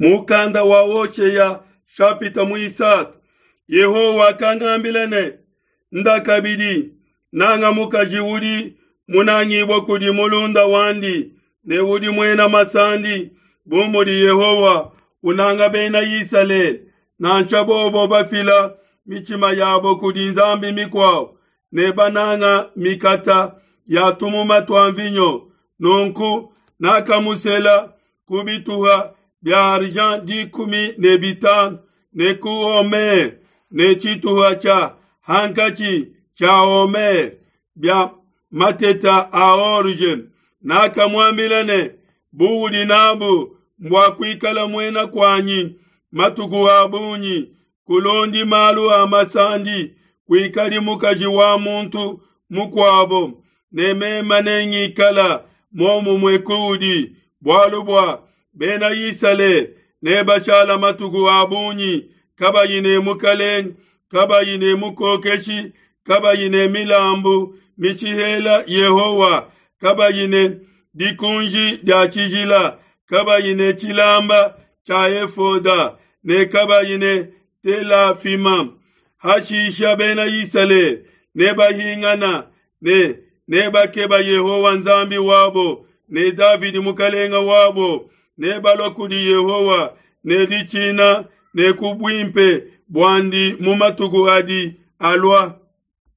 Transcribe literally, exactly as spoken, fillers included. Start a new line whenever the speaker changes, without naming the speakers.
Mukanda wa Hoshea chapitre muisatu. Yehowa wakangambila ne, nda kabidi nanga mukaji udi munangibua kudi mulunda wandi ne udi muena masandi, bu mudi Yehowa unanga bena Isalele, nansha bobo bafila mitshima yabo kudi nzambi mikuabo ne bananga mikata ya tumuma tua mvinyo. Nunku nakamusela ku bituha bia argent dikumi ne bitanu ne ku homer ne tshituha tshia hankatshi tshia homer bia mateta a orge. Nakamuambila ne, buudi nabu mbua kuikala muena kuanyi matuku a bungi, kulondi malu a masandi, kuikadi mukaji wa muntu mukuabo, ne meme nengikala muomumue kuudi, bualu bua bena Isalele nebashala matuku a bungi kabayi ne mukalenge, kabayi ne mukokeshi, kabayi ne milambu mishihela Yehowa, kabayi ne dikunji dia tshijila, kabayi ne tshilamba tshia efoda ne kabayi ne telafima. Hashisha bena Isalele nebahingana ne nebakeba Yehowa Nzambi wabo ne Davidi mukalenga wabo, nebalua kudi Yehowa ne ditshina ne ku buimpe buandi mu matuku adi alua.